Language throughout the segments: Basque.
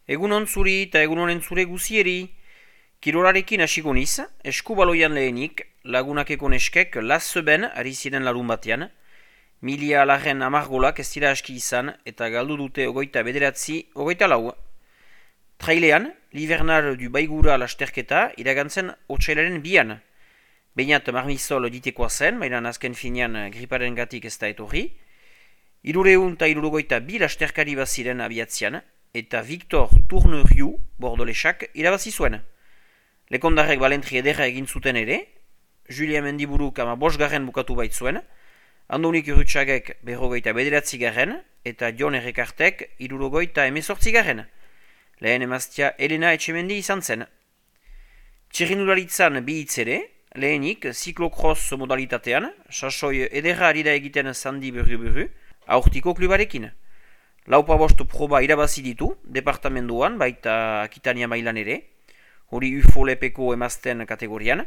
Egunon zuri eta egunonen zure guzieri. Kirolarekin hasiko niz, eskubaloian lehenik, lagunakeko neskek lazeben ari ziren larun batean. Milia laren amargolak ez dira aski izan eta galdu dute ogoita bederatzi, ogoita lau. Trailean, Livernar du Baigura lasterketa iragantzen otsailaren bian. Beinat marmizol ditekoa zen, baina azken finean griparen gatik ez da etorri. 362 bi lasterkari baziren abiatzean, eta Victor Tourneriu bordolesak irabazi zuen. Lekondarrek balentri ederra egin zuten ere, Julia Mendiburuk 5. bukatu baitzuen, Andonik Urrutsagek 59. eta Jon Errekartek 78. Lehen emaztia Elena Etxemendi izan zen. Txirrindularitzan bi hitz ere, lehenik ziklokross modalitatean, sasoi ederra ari da egiten Sandi Buru, aurtiko klubarekin. Laupabost proba irabazi ditu, departamenduan, baita Akitania mailan ere, hori UFO-lepeko emazten kategorian.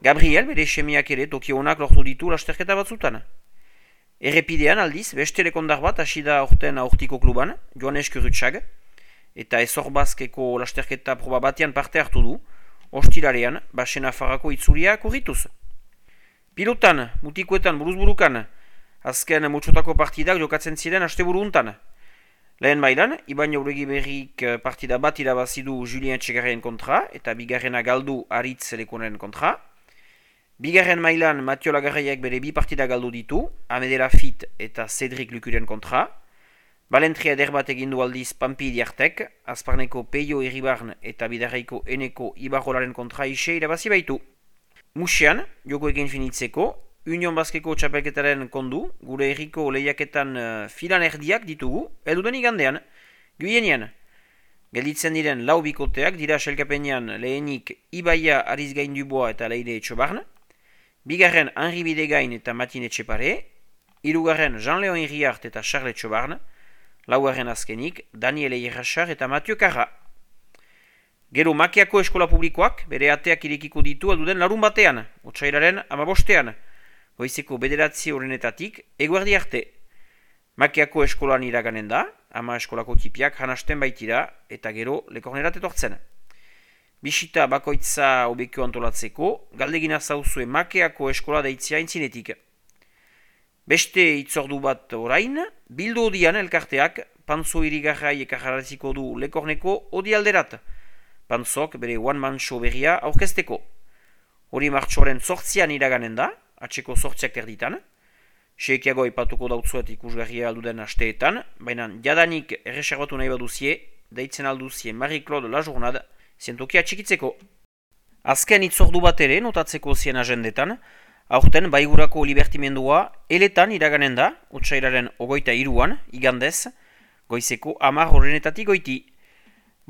Gabriel, bere semiak ere, Tokio honak lortu ditu lasterketa batzutan. Errepidean aldiz, beste lekondar bat hasi da aurten aurtiko kluban, Joanes Kurutxag, eta ezorbazkeko lasterketa proba batean parte hartu du, ostilarean, Basena Farako itzulia korrituz. Pilotan, mutikoetan, buruzburukan, azken mutxotako partidak jokatzen ziren asteburu untan. Lehen mailan, Iban Jauregi berrik partida bat irabazidu Julien Etxegarren kontra eta bigarrena galdu Aritz Lekonen kontra. Bigarren mailan Matio Lagarraiek bere bi partida galdu ditu, Amedela Fit eta Cedric Lukuren kontra. Balentria eder bat egindu aldiz Pampi Diartek, Azparneko Peio Iribarn eta Bidarraiko Eneko Ibarrolaren kontra ise irabazi baitu. Musean, joko egin finitzeko, Union Baskeko txapelketaren kondu, gure herriko lehiaketan filan erdiak ditugu, eduden igandean, Guienean. Gelditzen diren lau bikoteak dira selkapenean lehenik Ibaia Arizgain Duboa eta Leire Etxobarn, bigarren Henri Bidegain eta Matin Etxepare, hirugarren Jean-Léon Iriart eta Charles Etxobarn, laugarren azkenik Daniel Eierrachar eta Mathieu Carra. Gero Makiako eskola publikoak bere ateak irekiko ditu alduden larun batean, otsailaren 15. Goizeko 9 horrenetatik eguerdi arte. Makiako eskolan iraganen da, ama eskolako tipiak janasten baitira eta gero lekornerat etortzen. Bisita bakoitza obekio antolatzeko, galdegina zauzue Makiako eskola deitzia intzinetik. Beste itzordu bat orain, bildu odian elkarteak Pantzo irigarrai ekajarraziko du lekorneko odi alderat. Pantzok bere one-man show berria aurkezteko. Hori martxoaren 8 iraganen da, atxeko 8 terditan. Seikiago ipatuko dautzuet ikusgarria alduden asteetan, baina jadanik erreserbatu nahi baduzie, deitzen alduzie Marie-Claude La Journade, zientokia txikitzeko. Azken itzordu bat ere notatzeko zien agendetan, aurten Baigurako libertimendua eletan iraganen da, otsailaren 23an, igandez, goizeko 10 horrenetatik goiti.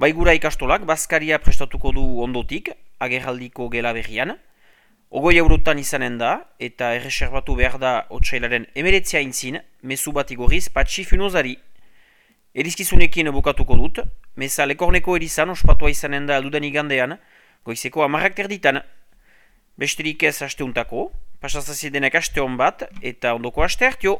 Baigura ikastolak Baskaria prestatuko du ondotik, agerraldiko gela berrian, 20 eurotan izanen da, eta erreserbatu behar da otsailaren 19 intzin, mezu bat igorriz Patxi Funozari. Erizkizunekin bukatuko dut, meza lekorneko erizan ospatua izanen da alduden igandean, goizeko 10 terditan. Besterik ez asteuntako, pasazazi denek aste hon bat, eta ondoko aste hartio.